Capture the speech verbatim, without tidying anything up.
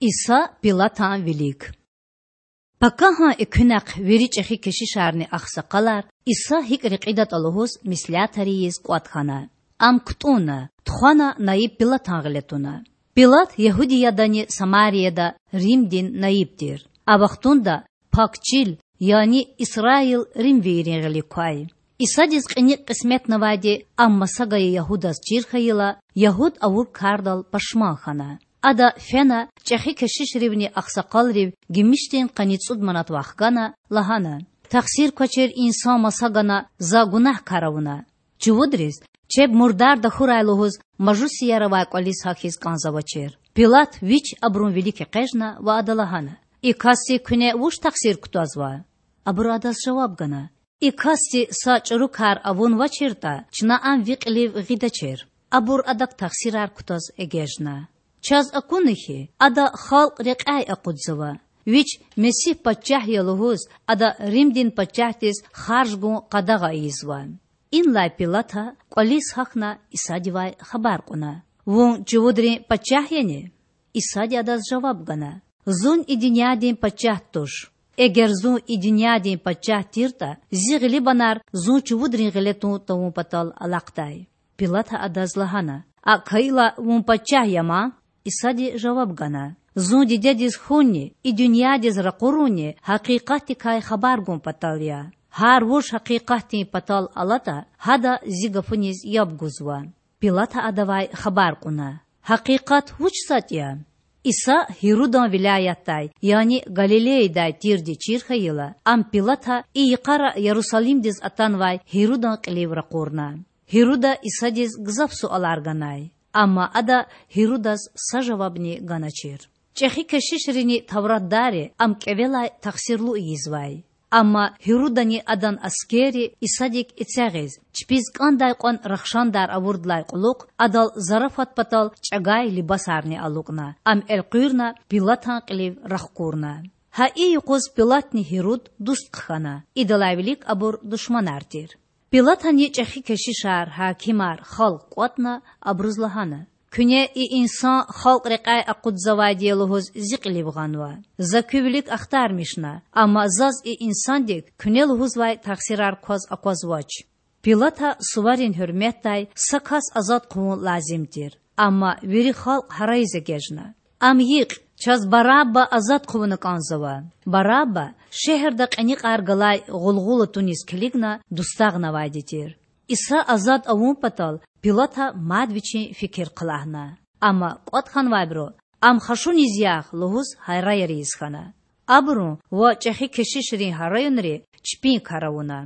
Иса Пилатан вилик. Пакагьан экуьнахъ вири чІехи кешишарни агъсакъалар, Иса гьикІ рекьидатІа лугьуз, меслятар ийиз кІватІ хьана. Ам кутІунна, тухвана наиб Пилатан гъиле туна. Пилат Ягьудиядани Самарияда Римдин наиб тир. А вахтунда Пак Чил, яни Исраил римвийрин гъилик квай. Исадиз кьиникь кьисметнавайди Ам маса гайи Ягьудаз чир хьайила, Ягьуд авур кардал пашман хьана. Ада фена чІехи кешишривни агъсакъалрив гимишдин къанни цІуд манат вахгана, лагьана: Тахсир квачир инсан маса гана За гунагькар авуна. Чувудриз чеб мурдар тахьурай лугьуз мажусияр авай кІвализ гьахьиз кІанзавачир. Пилат вич абурун вилик экъечІна ва ада лагьана: И касдик куьне вуч тахсир кутазва? Абуру адаз жаваб гана: И касди са чІуру кар авунвачиртІа, чна ам ви кьилив гъидачир. Абур адак тахсирар кутаз эгечІна: Чаз акуна хьи, ада халкь рекьяй акъудзава. Вич Месигь пачагь я лугьуз, ада Римдин пачагьдиз харж гун къадагъа ийизва. Инлай Пилата кІвализ гьахьна, Исадивай хабар кьуна: Вун чувудрин пачагь яни? Исади адаз жаваб гана: Зун и дуьньядин пачагьди туш. Эгер Зун и дуьньядин пачагь тиртІа, Зи гъилибанар Зун чувудрин гъиле тун тавун патал алахъдай. Пилата адаз лагьана: Акӏ хьайила, Вун пачагь я ман? Исади жаваб гана: Зун Дидедиз хьунни и дуьньядиз ракъурунни гьакъикъатдикай хабар гун патал я. Гьар вуж гьакъикъатдин патал алатІа, гьада Зи гафуниз яб гузва. Пилата адавай хабар кьуна: Гьакъикъат вуч затІ я? Иса Гьирудан вилаятдай, яни Галилеядай тирди чир хьайила, ам Пилата и йикъара Ярусалимдиз атанвай Гьирудан кьилив ракъурна. Гьируда Исадиз гзаф суалар ганай, амма ада Гьирудаз са жавабни ганачир. ЧІехи кешишрини тавратдарри Ам кІевелай тахсирлу ийизвай. Амма Гьирудани адан аскерри Исадик эцягъиз, чпиз кІандай кьван рахшандар авурдалай кьулухъ, Адал зарафат патал чІагай либасарни алукІна, Ам элкъуьрна Пилатан кьилив рахкурна. Гьа и юкъуз Пилатни Гьируд дуст хъхьана, идалай вилик абур душманар тир. Пилатани чІехи кешишар, гьакимар, халкь кІватІна, абуруз лагьана: Куьне и инсан халкь рекьяй акъудзавайди я лугьуз Зи кьилив гъанва. За куь вилик ахтармишна, амма заз и инсандик куьне лугьузвай тахсирар кваз аквазвач. Пилата суварин гьуьрметдай са кас азад хъувун лазим тир, амма вири халкь гьарайиз эгечІна: Ам йикь! Чаз Барабба азад хъувуна кІанзава! Барабба шегьерда кьиникьар галай гъулгъула туниз килигна дустагънавайди тир. Иса азад авун патал Пилата мад вичин фикир хълагьна. Амма кІватІ хьанвайбуру: Ам хашуниз ягъ! лугьуз гьараяр ийиз хьана. Абурун ва чІехи кешишрин гьараюнри чпин кар авуна.